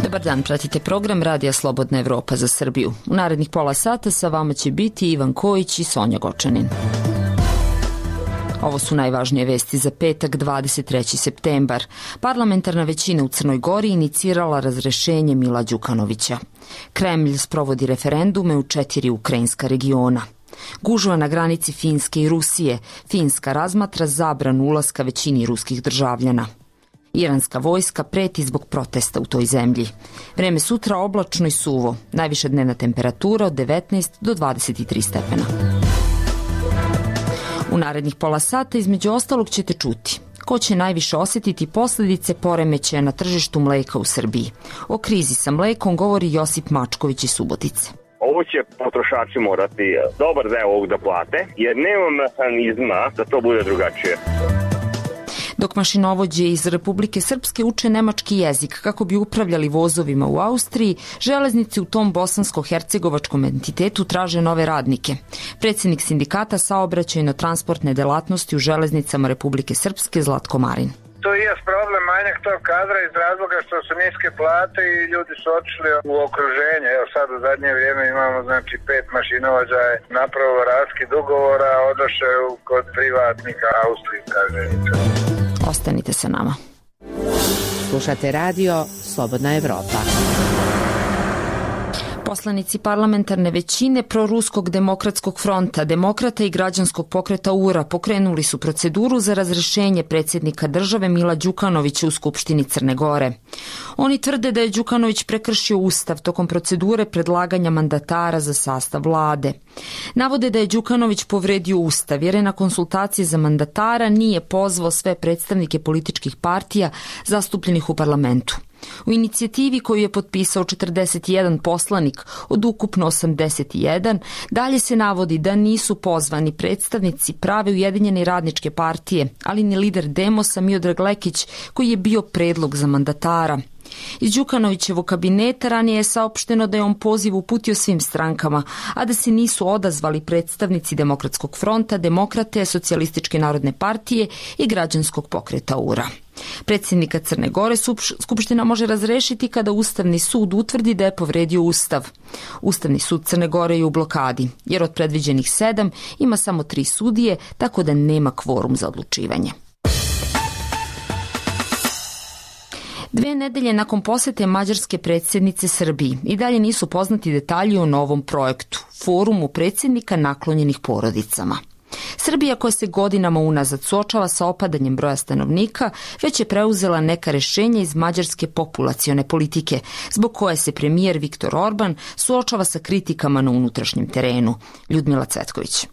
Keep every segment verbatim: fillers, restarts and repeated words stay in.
Dobar dan, pratite program Radija Slobodna Evropa za Srbiju. U narednih pola sata sa vama će biti Ivan Kojić i Sonja Gočanin. Ovo su najvažnije vesti za petak, dvadeset treći septembar. Parlamentarna većina u Crnoj Gori inicirala razrešenje Mila Đukanovića. Kremlj sprovodi referendume u četiri ukrajinska regiona. Gužva na granici Finske i Rusije. Finska razmatra zabranu ulaska većini ruskih državljana. Iranska vojska preti zbog protesta u toj zemlji. Vreme sutra oblačno i suvo. Najviša dnevna temperatura od devetnaest do dvadeset tri stepena. U narednih pola sata između ostalog ćete čuti ko će najviše osjetiti posljedice poremećaja na tržištu mleka u Srbiji. O krizi sa mlekom govori Josip Mačković iz Subotice. Ovo će potrošači morati dobar deo ovog da plate, jer nema mehanizma da to bude drugačije. Dok mašinovođe iz Republike Srpske uče nemački jezik kako bi upravljali vozovima u Austriji, železnice u tom bosansko-hercegovačkom entitetu traže nove radnike. Predsjednik sindikata saobraćajno-transportne delatnosti u železnicama Republike Srpske Zlatko Marin. To je problem manjak tog kadra iz razloga što su niske plate i ljudi su otišli u okruženje. Evo sad u zadnje vrijeme imamo znači pet mašinovođa je napravilo raskid ugovora, odošao kod privatnika austrijska železnica. Ostanite sa nama. Slušate radio Slobodna Evropa. Poslanici parlamentarne većine Proruskog demokratskog fronta, Demokrata i građanskog pokreta U R A pokrenuli su proceduru za razrešenje predsjednika države Mila Đukanovića u Skupštini Crne Gore. Oni tvrde da je Đukanović prekršio ustav tokom procedure predlaganja mandatara za sastav vlade. Navode da je Đukanović povredio ustav jer je na konsultacije za mandatara nije pozvao sve predstavnike političkih partija zastupljenih u parlamentu. U inicijativi koju je potpisao četrdeset jedan poslanik od ukupno osamdeset jedan, dalje se navodi da nisu pozvani predstavnici prave Ujedinjene radničke partije, ali ni lider Demosa Miodrag Lekić koji je bio predlog za mandatara. Iz Đukanovićevog kabineta ranije je saopšteno da je on poziv uputio svim strankama, a da se nisu odazvali predstavnici Demokratskog fronta, Demokrate, Socijalističke narodne partije i građanskog pokreta U R A. Predsjednika Crne Gore Skupština može razrešiti kada Ustavni sud utvrdi da je povredio ustav. Ustavni sud Crne Gore je u blokadi, jer od predviđenih sedam ima samo tri sudije, tako da nema kvorum za odlučivanje. Dve nedelje nakon posete mađarske predsjednice Srbiji i dalje nisu poznati detalji o novom projektu, forumu predsjednika naklonjenih porodicama. Srbija, koja se godinama unazad suočava sa opadanjem broja stanovnika, već je preuzela neka rješenja iz mađarske populacione politike, zbog koje se premijer Viktor Orban suočava sa kritikama na unutrašnjem terenu. Ljudmila Cvetković.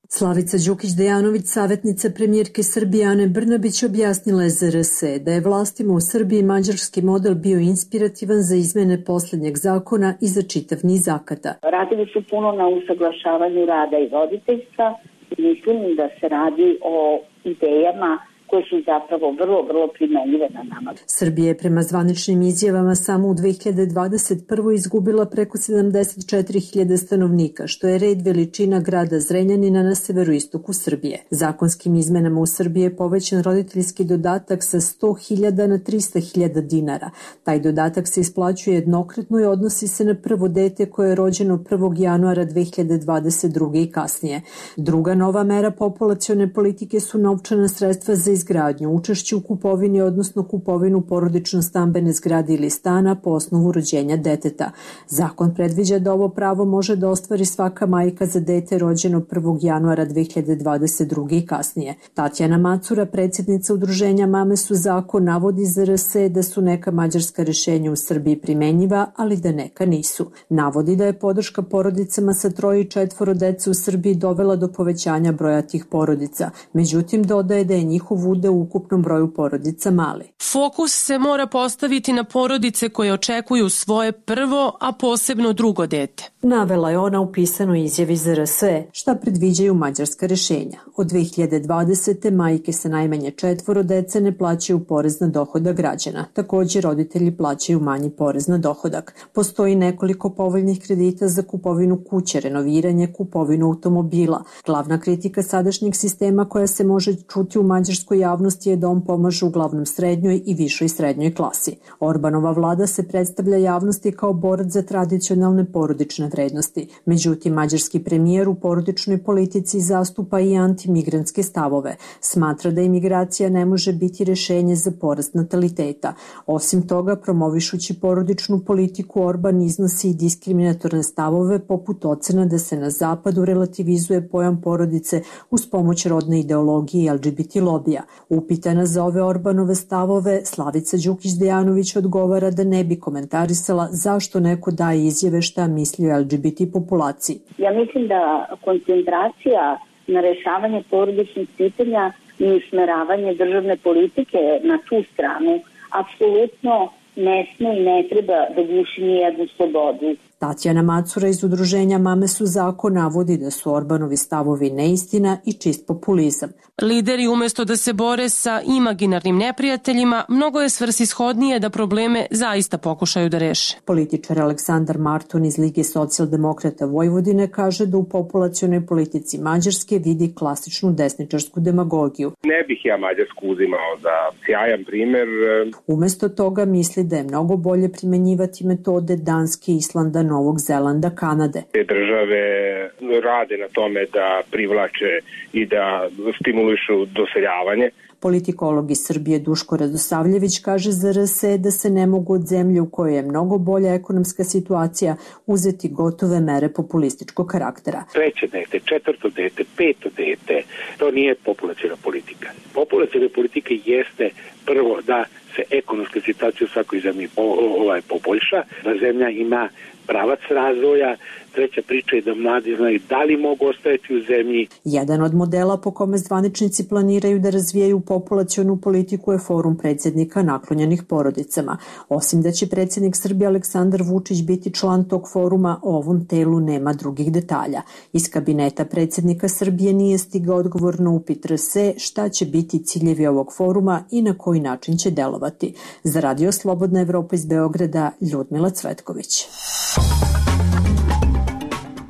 Slavica Đukić-Dejanović, savjetnica premijerke Srbije Ane Brnabić, objasnila je za R S da je vlastima u Srbiji mađarski model bio inspirativan za izmene posljednjeg zakona i za čitav niz akata. Radili su puno na usaglašavanju rada i roditeljstva. Mislim da se radi o idejama koje su zapravo vrlo, vrlo primenjive na nama. Srbija je prema zvaničnim izjavama samo u dve hiljade dvadeset prvoj izgubila preko sedamdeset četiri hiljade stanovnika, što je red veličina grada Zrenjanina na severoistoku Srbije. Zakonskim izmenama u Srbiji je povećan roditeljski dodatak sa sto hiljada na trista hiljada dinara. Taj dodatak se isplaćuje jednokratno i odnosi se na prvo dete koje je rođeno prvog januara dve hiljade dvadeset druge i kasnije. Druga nova mera populacione politike su novčana sredstva za izgradnju, učešće u kupovini, odnosno kupovinu porodično stambene zgrade ili stana po osnovu rođenja deteta. Zakon predviđa da ovo pravo može da ostvari svaka majka za dete rođeno prvog januara dve hiljade dvadeset druge i kasnije. Tatjana Macura, predsjednica udruženja Mame su zakon, navodi za R S da su neka mađarska rješenja u Srbiji primenjiva, ali da neka nisu. Navodi da je podrška porodicama sa troje i četvoro dece u Srbiji dovela do povećanja broja tih porodica. Međutim, dodaje da je njihov bude u ukupnom broju porodica mali. Fokus se mora postaviti na porodice koje očekuju svoje prvo, a posebno drugo dete. Navela je ona u pisanoj izjavi za R S E šta predviđaju mađarska rešenja. Od dve hiljade dvadesete. majke sa najmanje četvoro dece ne plaćaju porez na dohodak građana. Također roditelji plaćaju manji porez na dohodak. Postoji nekoliko povoljnih kredita za kupovinu kuće, renoviranje, kupovinu automobila. Glavna kritika sadašnjeg sistema koja se može čuti u mađarskoj javnosti je da on pomaže uglavnom srednjoj i višoj srednjoj klasi. Orbanova vlada se predstavlja javnosti kao borac za tradicionalne porodične vrednosti. Međutim, mađarski premijer u porodičnoj politici zastupa i antimigrantske stavove. Smatra da imigracija ne može biti rešenje za porast nataliteta. Osim toga, promovišući porodičnu politiku, Orban iznosi i diskriminatorne stavove poput ocena da se na zapadu relativizuje pojam porodice uz pomoć rodne ideologije i L G B T lobija. Upitana za ove Orbanove stavove, Slavica Đukić-Dejanović odgovara da ne bi komentarisala zašto neko daje izjave šta misli o L G B T populaciji. Ja mislim da koncentracija na rešavanje porodičnih pitanja i usmeravanje državne politike na tu stranu apsolutno ne sme i ne treba da guši nijednu slobodu. Tatjana Macura iz udruženja Mame su zakon navodi da su Orbanovi stavovi neistina i čist populizam. Lideri umesto da se bore sa imaginarnim neprijateljima, mnogo je svrsishodnije da probleme zaista pokušaju da reše. Političar Aleksandar Marton iz Lige socijaldemokrata Vojvodine kaže da u populacionoj politici Mađarske vidi klasičnu desničarsku demagogiju. Ne bih ja Mađarsku uzimao za sjajan primer. Umesto toga misli da je mnogo bolje primenjivati metode Danske, Islanda, Novog Zelanda, Kanade. Te države rade na tome da privlače i da stimulišu doseljavanje. Politikolog iz Srbije Duško Radosavljević kaže za R S E da se ne mogu od zemlje u kojoj je mnogo bolja ekonomska situacija uzeti gotove mere populističkog karaktera. Treće dete, četvrto dete, peto dete, to nije populaciona politika. Populaciona politika jeste prvo da se ekonomska situacija u svakoj zemlji ovaj, poboljša, da zemlja ima pravac razvoja. Treća priča je da mladi znaju da li mogu ostajati u zemlji. Jedan od modela po kome zvaničnici planiraju da razvijaju populacionu politiku je forum predsjednika naklonjenih porodicama. Osim da će predsjednik Srbije Aleksandar Vučić biti član tog foruma, o ovom telu nema drugih detalja. Iz kabineta predsjednika Srbije nije stigao odgovor na upit R S E šta će biti ciljevi ovog foruma i na koji način će delovati. Za Radio Slobodna Evropa iz Beograda, Ljudmila Cvetković.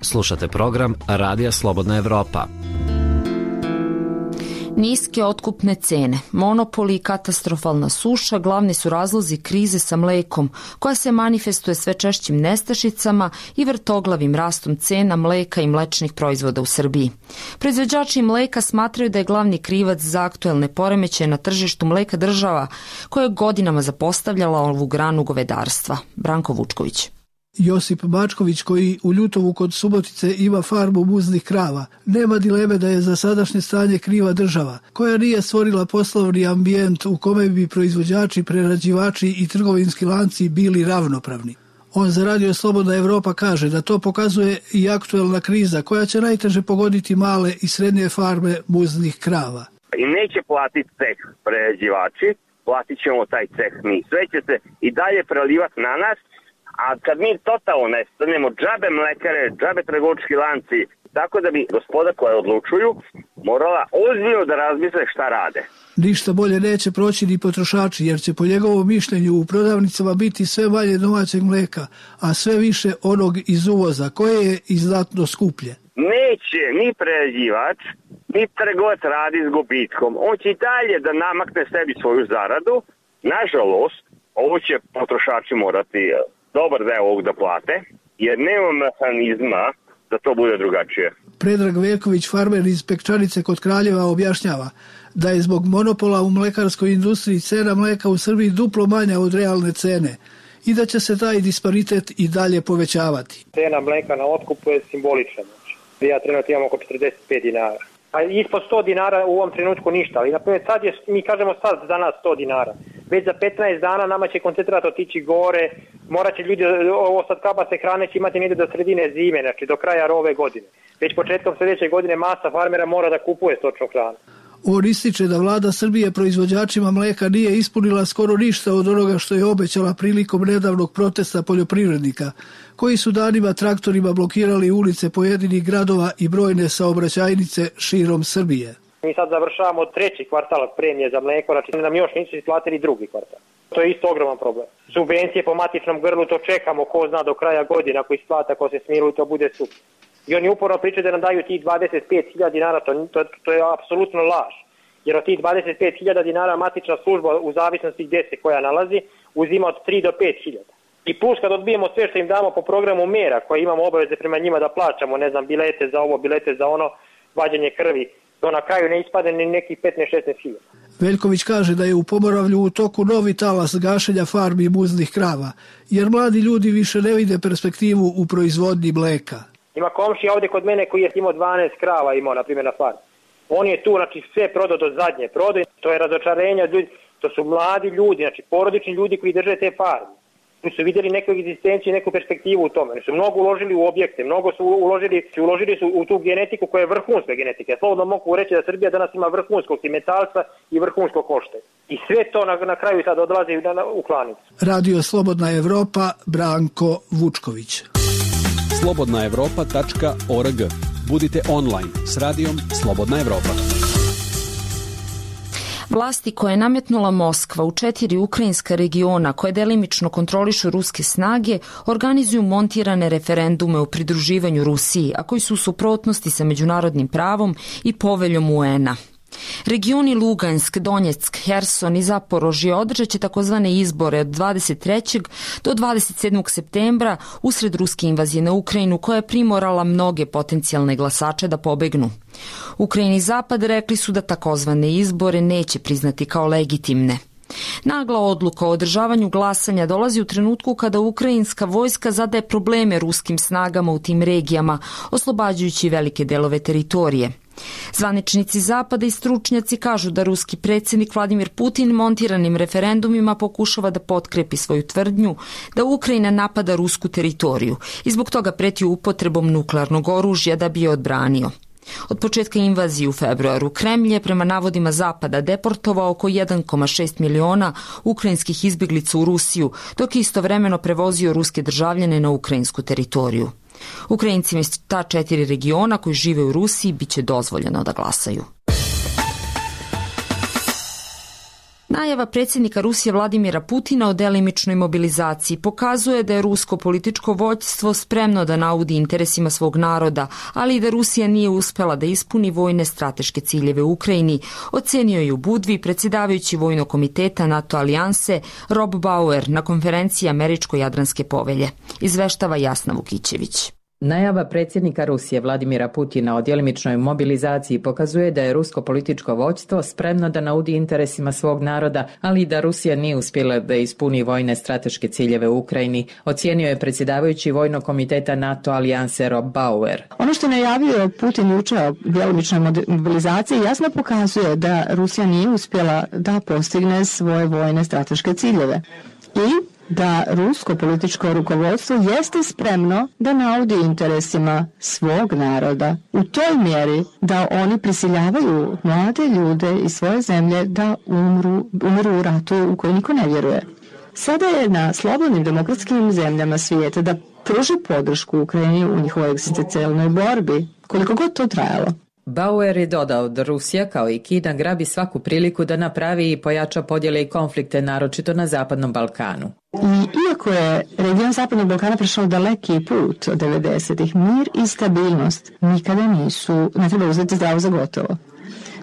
Slušate program Radija Slobodna Evropa. Niske otkupne cene, monopoli i katastrofalna suša glavni su razlozi krize sa mlekom, koja se manifestuje sve češćim nestašicama i vrtoglavim rastom cena mleka i mlečnih proizvoda u Srbiji. Proizvođači mleka smatraju da je glavni krivac za aktuelne poremećaje na tržištu mleka država, koja je godinama zapostavljala ovu granu govedarstva. Branko Vučković. Josip Bačković, koji u Ljutovu kod Subotice ima farmu muznih krava, nema dileme da je za sadašnje stanje kriva država, koja nije stvorila poslovni ambijent u kome bi proizvođači, prerađivači i trgovinski lanci bili ravnopravni. On za Radio Slobodna Evropa kaže da to pokazuje i aktuelna kriza koja će najteže pogoditi male i srednje farme muznih krava. I neće platiti ceh prerađivači, platit ćemo taj ceh mi. Sve će se i dalje prelivati na nas. A kad mi totalno nestanemo, džabe mlekare, džabe trgovački lanci, tako da bi gospoda koja odlučuju morala ozbiljno da razmisle šta rade. Ništa bolje neće proći ni potrošači, jer će po njegovom mišljenju u prodavnicama biti sve manje domaćeg mleka, a sve više onog iz uvoza, koje je i znatno skuplje. Neće ni prerađivač, ni trgovac radi s gubitkom. On će i dalje da namakne sebi svoju zaradu. Nažalost, ovo će potrošači morati dobar deo ovog da plate, jer nema mehanizma da to bude drugačije. Predrag Veković, farmer iz Pekčanice kod Kraljeva, objašnjava da je zbog monopola u mlekarskoj industriji cena mleka u Srbiji duplo manja od realne cene i da će se taj disparitet i dalje povećavati. Cena mleka na otkupu je simbolična. Ja trenutno imam oko četrdeset pet dinara. A ispod sto dinara u ovom trenutku ništa, ali naprimjer sad je, mi kažemo sad za nas sto dinara. Već za petnaest dana nama će koncentrat otići gore, morat će ljudi, ovo sad kabase hrane će imati negdje do sredine zime, znači do kraja ove godine. Već početkom sljedeće godine masa farmera mora da kupuje stočnu hranu. On ističe da vlada Srbije proizvođačima mleka nije ispunila skoro ništa od onoga što je obećala prilikom nedavnog protesta poljoprivrednika, koji su danima traktorima blokirali ulice pojedinih gradova i brojne saobraćajnice širom Srbije. Mi sad završavamo treći kvartal premije za mleko, znači nam još nisu isplatili drugi kvartal. To je isto ogroman problem. Subvencije po matičnom grlu, to čekamo, ko zna do kraja godine, ako isplata, ako se smiruju, to bude super. I oni uporno pričaju da nam daju tih dvadeset pet hiljada dinara, to, to, to je apsolutno laž. Jer od tih dvadeset pet hiljada dinara matična služba u zavisnosti gdje se koja nalazi, uzima od tri do pet hiljada. I plus kad odbijemo sve što im damo po programu mera, koje imamo obaveze prema njima da plaćamo, ne znam, bilete za ovo, bilete za ono, vađenje krvi, to na kraju ne ispade ni nekih petnaest šesnaest hiljada. Veljković kaže da je u Pomoravlju u toku novi talas gašenja farmi muznih krava, jer mladi ljudi više ne vide perspektivu u proizvodnji mleka. Ima komšija ovdje kod mene koji je imao dvanaest krava imao, na primjer, na farmi. On je tu, znači, sve prodao do zadnje prodaj, to je razočarenje od ljudi, to su mladi ljudi, znači, porodični ljudi koji drže te farme. Tu su vidjeli neku egzistenciju, neku perspektivu u tome. Oni su mnogo uložili u objekte, mnogo su uložili, uložili su u tu genetiku koja je vrhunska genetika. Ja slobodno mogu reći da Srbija danas ima vrhunskog cimetalca i vrhunskog košte. I sve to na, na kraju sad odlazi u klanicu. Radio Slobodna Evropa, Branko Vučković. slobodna evropa tačka org. Budite online s radijom Slobodna Evropa. Vlasti koje je nametnula Moskva u četiri ukrajinska regiona koje delimično kontrolišu ruske snage organizuju montirane referendume o pridruživanju Rusiji, a koji su u suprotnosti sa međunarodnim pravom i poveljom U N-a. Regioni Lugansk, Donjeck, Herson i Zaporožje održat će takozvane izbore od dvadeset trećeg do dvadeset sedmog septembra usred ruske invazije na Ukrajinu koja je primorala mnoge potencijalne glasače da pobegnu. Ukrajini i Zapad rekli su da takozvane izbore neće priznati kao legitimne. Nagla odluka o održavanju glasanja dolazi u trenutku kada ukrajinska vojska zadaje probleme ruskim snagama u tim regijama, oslobađajući velike delove teritorije. Zvaničnici Zapada i stručnjaci kažu da ruski predsjednik Vladimir Putin montiranim referendumima pokušava da potkrepi svoju tvrdnju da Ukrajina napada rusku teritoriju i zbog toga preti upotrebom nuklearnog oružja da bi je odbranio. Od početka invazije u februaru Kremlj je prema navodima Zapada deportovao oko jedan zarez šest miliona ukrajinskih izbjeglica u Rusiju, dok je istovremeno prevozio ruske državljane na ukrajinsku teritoriju. Ukrajincima iz ta četiri regiona koji žive u Rusiji bit će dozvoljeno da glasaju. Najava predsjednika Rusije Vladimira Putina o delimičnoj mobilizaciji pokazuje da je rusko političko vođstvo spremno da naudi interesima svog naroda, ali i da Rusija nije uspela da ispuni vojne strateške ciljeve u Ukrajini, ocenio je u Budvi predsjedavajući Vojnog komiteta NATO alijanse Rob Bauer na konferenciji Američko-Jadranske povelje. Izveštava Jasna Vukićević. Najava predsjednika Rusije Vladimira Putina o djelimičnoj mobilizaciji pokazuje da je rusko političko vođstvo spremno da naudi interesima svog naroda, ali i da Rusija nije uspjela da ispuni vojne strateške ciljeve u Ukrajini, ocijenio je predsjedavajući Vojnog komiteta NATO alijanse Rob Bauer. Ono što je najavio Putin jučer o djelimičnoj mobilizaciji jasno pokazuje da Rusija nije uspjela da postigne svoje vojne strateške ciljeve i da rusko političko rukovodstvo jeste spremno da naudi interesima svog naroda u toj mjeri da oni prisiljavaju mlade ljude iz svoje zemlje da umru, umru u ratu u koji niko ne vjeruje. Sada je na slobodnim demokratskim zemljama svijeta da pruži podršku Ukrajini u njihovoj egzistencijalnoj borbi, koliko god to trajalo. Bauer je dodao da Rusija kao i Kina grabi svaku priliku da napravi i pojača podjele i konflikte, naročito na Zapadnom Balkanu. I iako je region Zapadnog Balkana prešao daleki put od devedesetih, mir i stabilnost nikada nisu, ne treba uzeti zdravo za gotovo.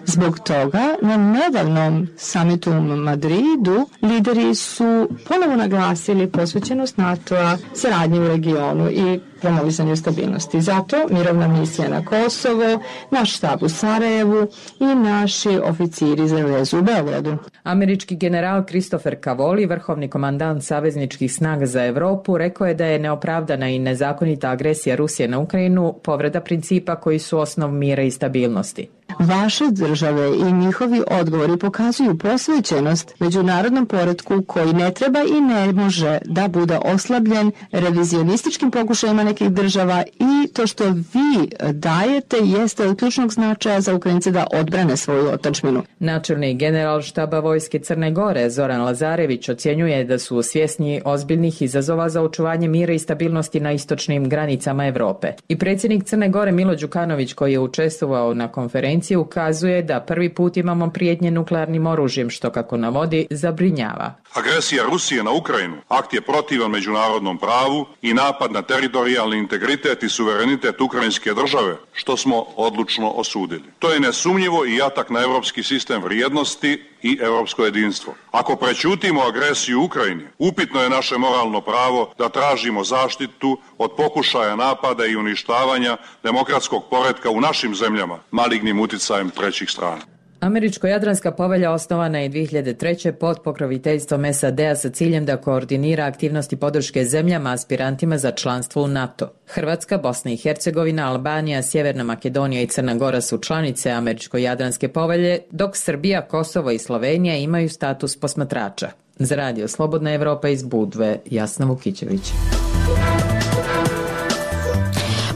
Zbog toga na nedavnom samitu u Madridu lideri su ponovo naglasili posvećenost NATO-a saradnje u regionu i promovisanju stabilnosti. Zato mirovna misija na Kosovo, naš štab u Sarajevu i naši oficiri za vezu u Beogradu. Američki general Christopher Cavoli, vrhovni komandant savezničkih snaga za Europu, rekao je da je neopravdana i nezakonita agresija Rusije na Ukrajinu povreda principa koji su osnov mira i stabilnosti. vaše države i njihovi odgovori pokazuju posvećenost međunarodnom poretku koji ne treba i ne može da bude oslabljen revizionističkim pokušajima nekih država, i to što vi dajete jeste od ključnog značaja za Ukrajince da odbrane svoju otadžbinu. Načelnik general štaba vojske Crne Gore Zoran Lazarević ocjenjuje da su svjesni ozbiljnih izazova za očuvanje mira i stabilnosti na istočnim granicama Evrope. I predsjednik Crne Gore Milo Đukanović, koji je učestvovao na konferenciji, ukazuje da prvi put imamo prijetnje nuklearnim oružjem, što, kako navodi, zabrinjava. Agresija Rusije na Ukrajinu akt je protivan međunarodnom pravu i napad na teritorijalni integritet i suverenitet ukrajinske države, što smo odlučno osudili. To je nesumnjivo i atak na evropski sistem vrijednosti i evropsko jedinstvo. Ako prećutimo agresiju u Ukrajini, upitno je naše moralno pravo da tražimo zaštitu od pokušaja napada i uništavanja demokratskog poretka u našim zemljama malignim uticajem trećih strana. Američko-jadranska povelja osnovana je dvije hiljade treće. pod pokroviteljstvom S A D-a sa ciljem da koordinira aktivnosti podrške zemljama aspirantima za članstvo u NATO. Hrvatska, Bosna i Hercegovina, Albanija, Sjeverna Makedonija i Crna Gora su članice Američko-jadranske povelje, dok Srbija, Kosovo i Slovenija imaju status posmatrača. Za Radio Slobodna Evropa iz Budve, Jasna Vukićević.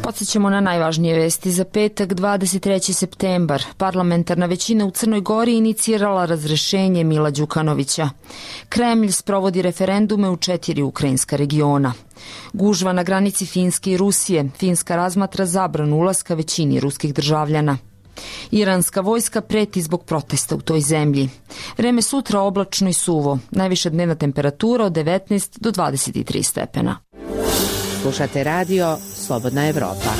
Podsjećamo na najvažnije vesti za petak, dvadeset treći septembar. Parlamentarna većina u Crnoj Gori inicirala razrešenje Mila Đukanovića. Kremlj sprovodi referendume u četiri ukrajinska regiona. Gužva na granici Finske i Rusije. Finska razmatra zabranu ulaska većini ruskih državljana. Iranska vojska preti zbog protesta u toj zemlji. Vreme sutra oblačno i suvo. Najviša dnevna temperatura od devetnaest do dvadeset tri stepena. Slušate radio Slobodna Evropa.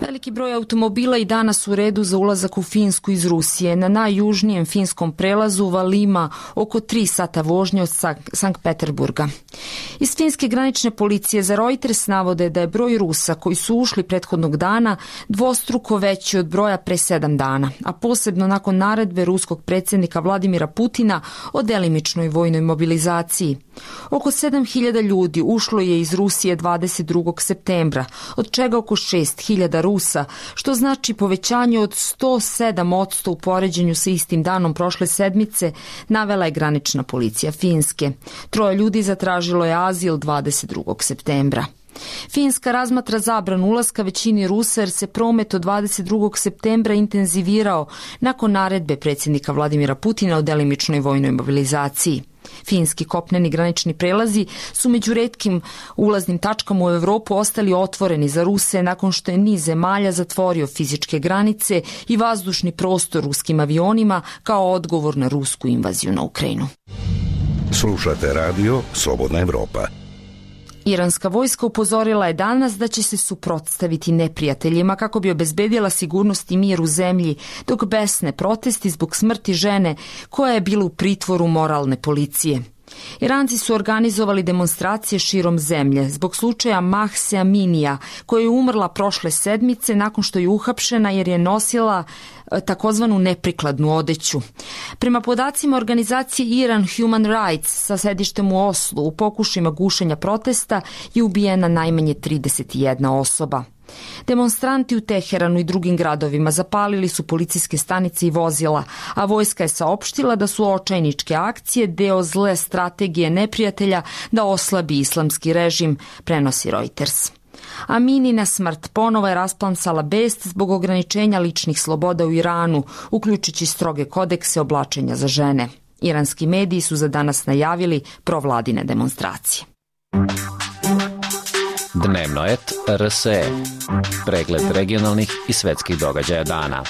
Veliki broj automobila i danas u redu za ulazak u Finsku iz Rusije. Na najjužnijem finskom prelazu Valima oko tri sata vožnje od Sankt Peterburga. Iz finske granične policije za Reuters navode da je broj Rusa koji su ušli prethodnog dana dvostruko veći od broja pre sedam dana, a posebno nakon naredbe ruskog predsjednika Vladimira Putina o delimičnoj vojnoj mobilizaciji. Oko sedam hiljada ljudi ušlo je iz Rusije dvadeset drugog septembra, od čega oko šest hiljada Rusa, što znači povećanje od sto sedam posto u poređenju sa istim danom prošle sedmice, navela je granična policija Finske. Troje ljudi zatražilo je azil dvadeset drugog septembra. Finska razmatra zabranu ulaska većini Rusa jer se promet od dvadeset drugog septembra intenzivirao nakon naredbe predsjednika Vladimira Putina o delimičnoj vojnoj mobilizaciji. Finski kopneni granični prelazi su među retkim ulaznim tačkama u Evropu ostali otvoreni za Ruse nakon što je niz zemalja zatvorio fizičke granice i vazdušni prostor ruskim avionima kao odgovor na rusku invaziju na Ukrajinu. Slušate radio Slobodna Evropa. Iranska vojska upozorila je danas da će se suprotstaviti neprijateljima kako bi obezbedila sigurnost i mir u zemlji, dok besne protesti zbog smrti žene koja je bila u pritvoru moralne policije. Iranci su organizovali demonstracije širom zemlje zbog slučaja Mahse Aminija, koja je umrla prošle sedmice nakon što je uhapšena jer je nosila takozvanu neprikladnu odeću. Prema podacima organizacije Iran Human Rights sa sedištem u Oslu, u pokušajima gušenja protesta je ubijena najmanje trideset jedna osoba. Demonstranti u Teheranu i drugim gradovima zapalili su policijske stanice i vozila, a vojska je saopštila da su očajničke akcije deo zle strategije neprijatelja da oslabi islamski režim, prenosi Reuters. Aminina smrt ponovo je rasplansala best zbog ograničenja ličnih sloboda u Iranu, uključujući stroge kodekse oblačenja za žene. Iranski mediji su za danas najavili provladine demonstracije. Dnevno et R S E. Pregled regionalnih i svetskih događaja dana.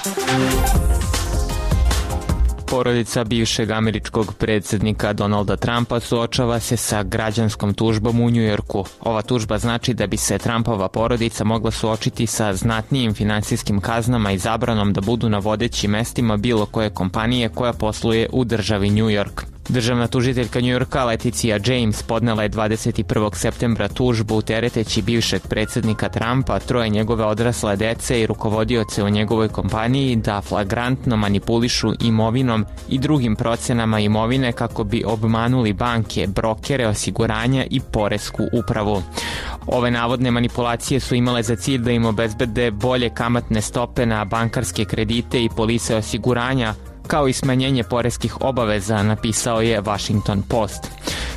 Porodica bivšeg američkog predsjednika Donalda Trumpa suočava se sa građanskom tužbom u Njujorku. Ova tužba znači da bi se Trumpova porodica mogla suočiti sa znatnijim finansijskim kaznama i zabranom da budu na vodećim mestima bilo koje kompanije koja posluje u državi New York. Državna tužiteljka Njujorka Leticia James podnela je dvadeset prvog septembra tužbu tereteći bivšeg predsjednika Trumpa, troje njegove odrasle dece i rukovodioce u njegovoj kompaniji da flagrantno manipulišu imovinom i drugim procenama imovine kako bi obmanuli banke, brokere, osiguranja i poresku upravu. Ove navodne manipulacije su imale za cilj da im obezbede bolje kamatne stope na bankarske kredite i polise osiguranja, kao i smanjenje poreskih obaveza, napisao je Washington Post.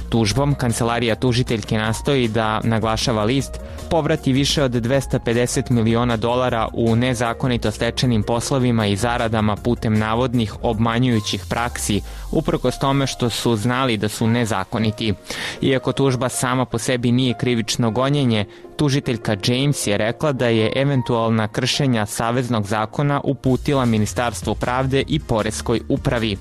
Tužbom kancelarija tužiteljke nastoji da, naglašava list, povrati više od dvesta pedeset miliona dolara u nezakonito stečenim poslovima i zaradama putem navodnih obmanjujućih praksi, uprkos tome što su znali da su nezakoniti. Iako tužba sama po sebi nije krivično gonjenje, tužiteljka James je rekla da je eventualna kršenja saveznog zakona uputila Ministarstvu pravde i poreskoj upravi.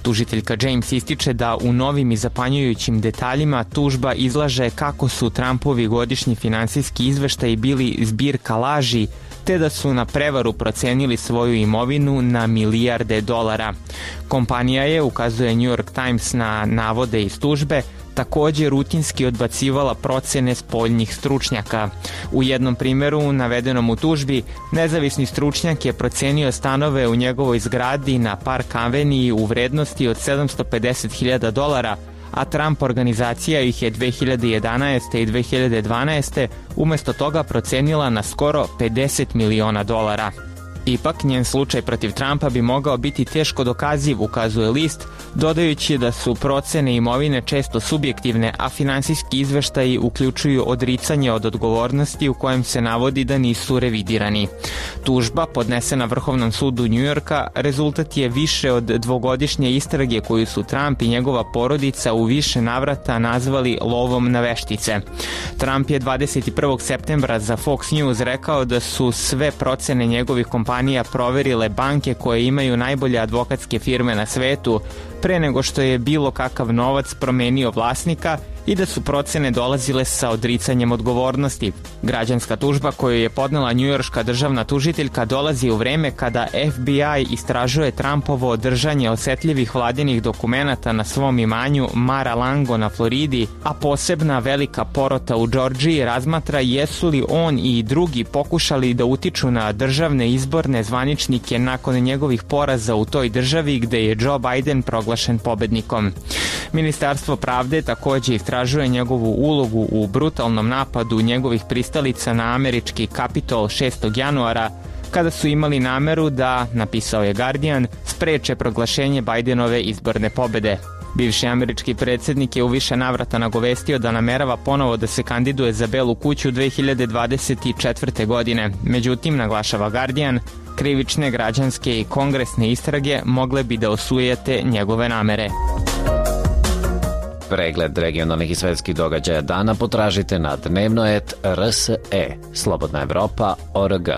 Tužiteljka James ističe da u novim i zapanjujućim detaljima tužba izlaže kako su Trumpovi godišnji finansijski izveštaji bili zbirka laži, te da su na prevaru procenili svoju imovinu na milijarde dolara. Kompanija je, ukazuje New York Times na navode iz tužbe, također rutinski odbacivala procene spoljnih stručnjaka. U jednom primjeru, navedenom u tužbi, nezavisni stručnjak je procenio stanove u njegovoj zgradi na Park Avenue u vrednosti od sedamsto pedeset hiljada dolara, a Trump organizacija ih je dve hiljade jedanaeste. i dve hiljade dvanaeste. umjesto toga procenila na skoro pedeset miliona dolara. Ipak, njen slučaj protiv Trumpa bi mogao biti teško dokaziv, ukazuje list, dodajući da su procene imovine često subjektivne, a finansijski izveštaji uključuju odricanje od odgovornosti u kojem se navodi da nisu revidirani. Tužba, podnesena Vrhovnom sudu Njujorka, rezultat je više od dvogodišnje istrage koju su Trump i njegova porodica u više navrata nazvali lovom na veštice. Trump je dvadeset prvog septembra za Fox News rekao da su sve procene njegovih kompanija proverile banke koje imaju najbolje advokatske firme na svetu pre nego što je bilo kakav novac promenio vlasnika i da su procene dolazile sa odricanjem odgovornosti. Građanska tužba koju je podnela njujorška državna tužiteljka dolazi u vreme kada F B I istražuje Trumpovo držanje osetljivih vladinih dokumenata na svom imanju Mar-a-Lago na Floridi, a posebna velika porota u Džordžiji razmatra jesu li on i drugi pokušali da utiču na državne izborne zvaničnike nakon njegovih poraza u toj državi gde je Joe Biden proglašen pobednikom. Ministarstvo pravde također istražuje njegovu ulogu u brutalnom napadu njegovih pristalica na američki Kapitol šestog januara, kada su imali nameru da, napisao je Guardian, spreče proglašenje Bidenove izborne pobede. Bivši američki predsjednik je u više navrata nagovestio da namerava ponovo da se kandiduje za Belu kuću dve hiljade dvadeset četvrte. godine. Međutim, naglašava Guardian, krivične, građanske i kongresne istrage mogle bi da osujete njegove namere. Pregled regionalnih i svetskih događaja dana potražite na dnevnoet R S E, Slobodna Evropa, O R G.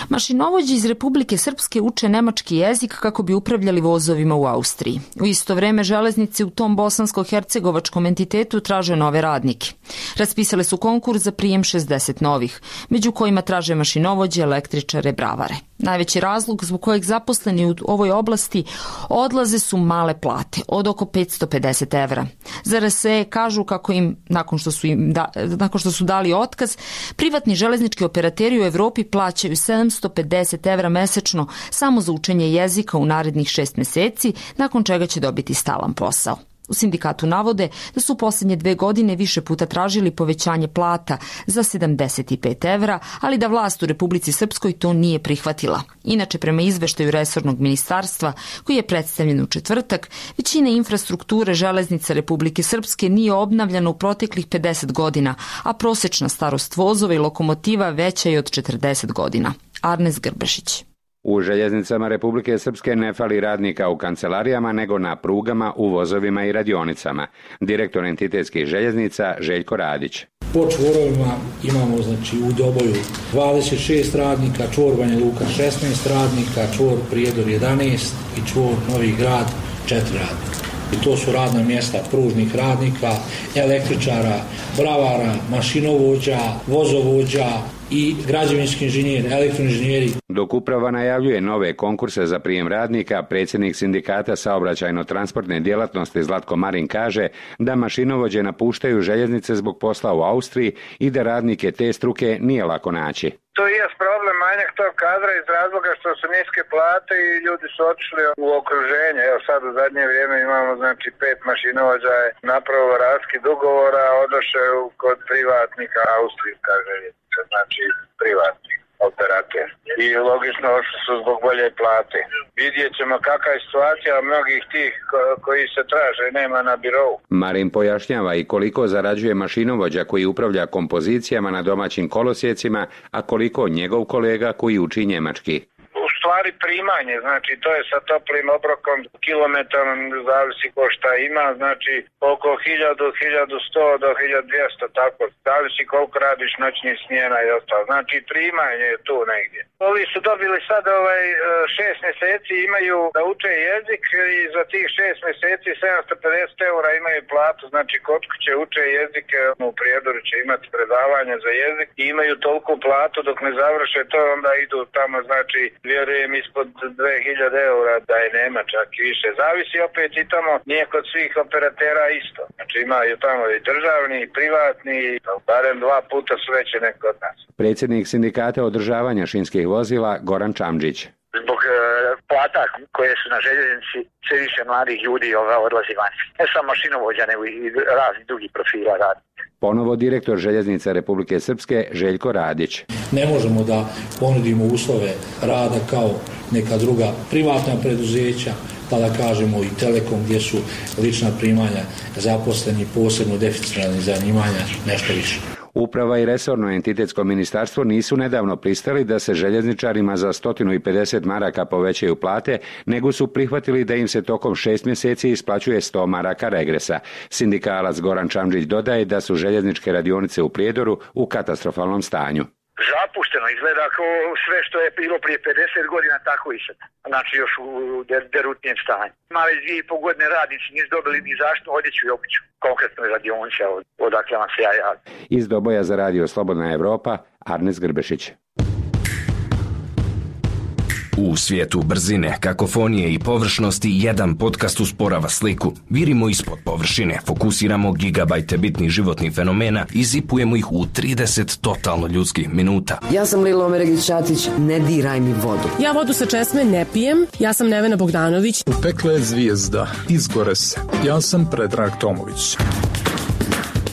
Mašinovođe iz Republike Srpske uče nemački jezik kako bi upravljali vozovima u Austriji. U isto vreme železnice u tom bosansko-hercegovačkom entitetu traže nove radnike. Raspisale su konkurs za prijem šezdeset novih, među kojima traže mašinovođe, električare, bravare. Najveći razlog zbog kojeg zaposleni u ovoj oblasti odlaze su male plate, od oko petsto pedeset evra. Za R S E kažu kako im, nakon što su, im da, nakon što su dali otkaz, privatni železnički operateri u Evropi plaćaju sedamsto pedeset evra mesečno samo za učenje jezika u narednih šest meseci, nakon čega će dobiti stalan posao. U sindikatu navode da su u posljednje dve godine više puta tražili povećanje plata za sedamdeset pet evra, ali da vlast u Republici Srpskoj to nije prihvatila. Inače, prema izveštaju resornog ministarstva, koji je predstavljen u četvrtak, većina infrastrukture železnica Republike Srpske nije obnavljana u proteklih pedeset godina, a prosečna starost vozova i lokomotiva veća je od četrdeset godina. Arnes Grbešić. U željeznicama Republike Srpske ne fali radnika u kancelarijama, nego na prugama, u vozovima i radionicama. Direktor entitetskih željeznica Željko Radić. Po čvorovima imamo znači, u Doboju dvadeset šest radnika, čvor Banja Luka šesnaest radnika, čvor Prijedor jedanaest i čvor Novi Grad četiri radnika. I to su radna mjesta pružnih radnika, električara, bravara, mašinovođa, vozovođa, i građevinski inženjeri, elektroinženjeri. Dok uprava najavljuje nove konkurse za prijem radnika, predsjednik sindikata saobraćajno-transportne djelatnosti Zlatko Marin kaže da mašinovođe napuštaju željeznice zbog posla u Austriji i da radnike te struke nije lako naći. To je problem manjak tog kadra iz razloga što su niske plate i ljudi su otišli u okruženje. Evo sad u zadnje vrijeme imamo znači pet mašinovođa je napravilo raskid ugovora, odošao kod privatnika austrijska željeznica, znači privatnik operator. I logično ošli su zbog bolje plate. Vidjet ćemo kakva je situacija mnogih tih ko- koji se traže, nema na birovu. Marin pojašnjava i koliko zarađuje mašinovođa koji upravlja kompozicijama na domaćim kolosijecima, a koliko njegov kolega koji uči njemački. U stvari primanje, znači to je sa toplim obrokom kilometrom, zavisi ko šta ima, znači oko hiljadu, hiljadu sto do hiljadu dvjesto, tako, zavisi koliko radiš noćnih smjena i ostalo, znači primanje je tu negdje. Ovi su dobili sad ovaj šest mjeseci, imaju da uče jezik i za tih šest mjeseci sedamsto pedeset eura imaju platu, znači kod kuće uče jezik, u Prijedoru će imati predavanje za jezik i imaju toliku platu dok ne završe to, onda idu tamo, znači vjerujem ispod dve hiljade eura da je nema čak i više. Zavisi opet i tamo, nije kod svih operatera isto. Znači imaju tamo i državni i privatni, barem dva puta su veće nek od nas. Predsjednik sindikata održavanja šinskih vozila Goran Čamđić. Zbog e, plata koje su na željeznici sve više mladih ljudi odlazi van. Ne samo mašinovođa, nego i razni drugi profila radi. Ponovo direktor Željeznica Republike Srpske Željko Radić. Ne možemo da ponudimo uslove rada kao neka druga privatna preduzeća, pa da kažemo i Telekom gdje su lična primanja zaposleni, posebno deficitarnih zanimanja, nešto više. Uprava i resorno entitetsko ministarstvo nisu nedavno pristali da se željezničarima za sto pedeset maraka povećaju plate, nego su prihvatili da im se tokom šest mjeseci isplaćuje sto maraka regresa. Sindikalac Goran Čamđić dodaje da su željezničke radionice u Prijedoru u katastrofalnom stanju. Zapušteno, izgleda kao sve što je bilo prije pedeset godina, tako i sad. Znači još u derutnijem stanju. Ima već dvije i pol godine radnici nisu dobili ni zaštitnu odjeću i obuću. Konkretno je radionice, odakle vam se ja javim. Iz Doboja za radio Slobodna Evropa, Arnes Grbešić. U svijetu brzine, kakofonije i površnosti jedan podcast usporava sliku. Virimo ispod površine, fokusiramo gigabajte bitnih životnih fenomena i zipujemo ih u trideset totalno ljudskih minuta. Ja sam Lilo Omeregić-Ćatić, ne diraj mi vodu. Ja vodu sa česme ne pijem, ja sam Nevena Bogdanović. U pekle je zvijezda, izgore se. Ja sam Predrag Tomović.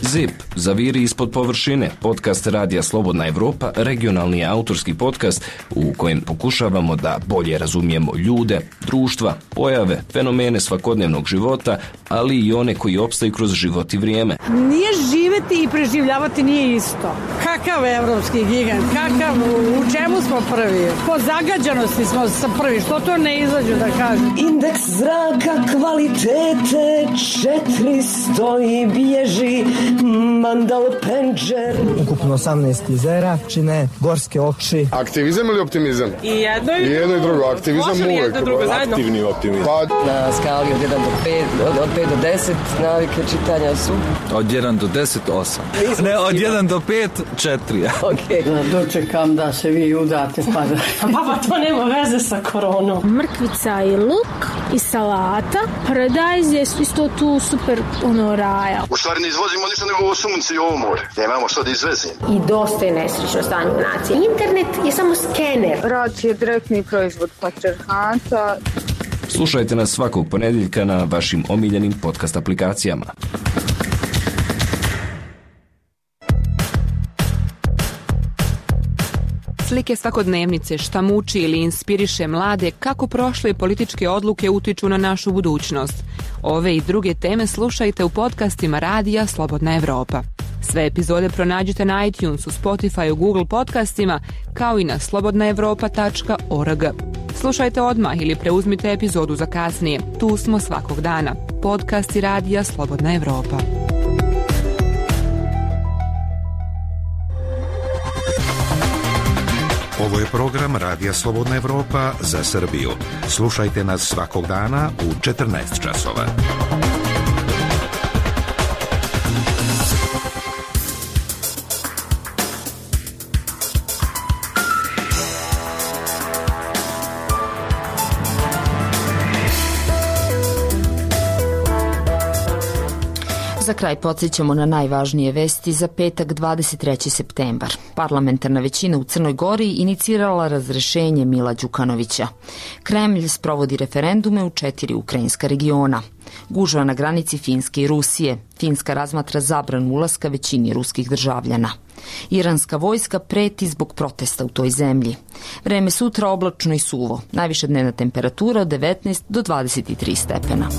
Zip, zaviri ispod površine, podcast Radija Slobodna Evropa, regionalni autorski podcast u kojem pokušavamo da bolje razumijemo ljude, društva, pojave, fenomene svakodnevnog života, ali i one koji opstaju kroz život i vrijeme. Nije živeti i preživljavati nije isto. Kakav evropski gigant, kakav, u čemu smo prvi? Po zagađanosti smo prvi, što to ne izađu da kažem? Indeks zraka kvalitete četiristo i bježi Mandal Penđer. Ukupno osamnaest jezera čine gorske oči. Aktivizam ili optimizam? I jedno i, I jedno i drugo. Aktivizam uvek. Jedno drugo zajedno. Aktivni optimizam. Pa... Na skali od jedan do pet, od, od pet do deset navike čitanja su? Od jedan do deset, osam. Ne, od jedan do pet, četiri. Okay. Da dočekam da se vi udate pa da... Baba, to nema veze sa koronom. Mrkvica i luk i salata. Paradajz je isto tu super ono raja. U stvari ne izvozimo ništa nego ovo sunce i ovo more. Nemamo što da izvezimo. I dosta je nesrećno stanje u naciji. Internet je samo skener. Rad je direktni proizvod patrijarhata. Slušajte nas svakog ponedjeljka na vašim omiljenim podcast aplikacijama. Slike svakodnevnice, šta muči ili inspiriše mlade, kako prošle političke odluke utiču na našu budućnost. Ove i druge teme slušajte u podcastima Radija Slobodna Evropa. Sve epizode pronađite na iTunesu, Spotifyu, Google podcastima, kao i na slobodna evropa tačka org. Slušajte odmah ili preuzmite epizodu za kasnije. Tu smo svakog dana. Podcasti Radija Slobodna Evropa. Ovo je program Radija Slobodna Evropa za Srbiju. Slušajte nas svakog dana u četrnaest časova. kraj podsjećamo na najvažnije vesti za petak dvadeset treći septembar. Parlamentarna većina u Crnoj Gori inicirala razrešenje Mila Đukanovića. Kremlj sprovodi referendume u četiri ukrajinska regiona. Gužva na granici Finske i Rusije. Finska razmatra zabranu ulaska većini ruskih državljana. Iranska vojska preti zbog protesta u toj zemlji. Vreme sutra oblačno i suvo. Najviša dnevna temperatura od devetnaest do dvadeset tri stepena.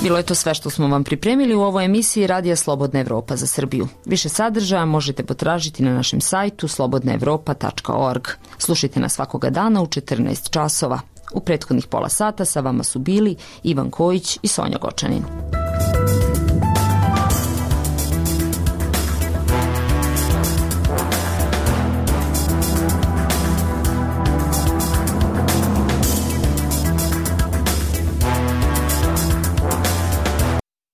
Bilo je to sve što smo vam pripremili u ovoj emisiji Radija Slobodna Evropa za Srbiju. Više sadržaja možete potražiti na našem sajtu slobodna evropa tačka org. Slušajte nas svakoga dana u četrnaest časova. U prethodnih pola sata sa vama su bili Ivan Kojić i Sonja Gočanin.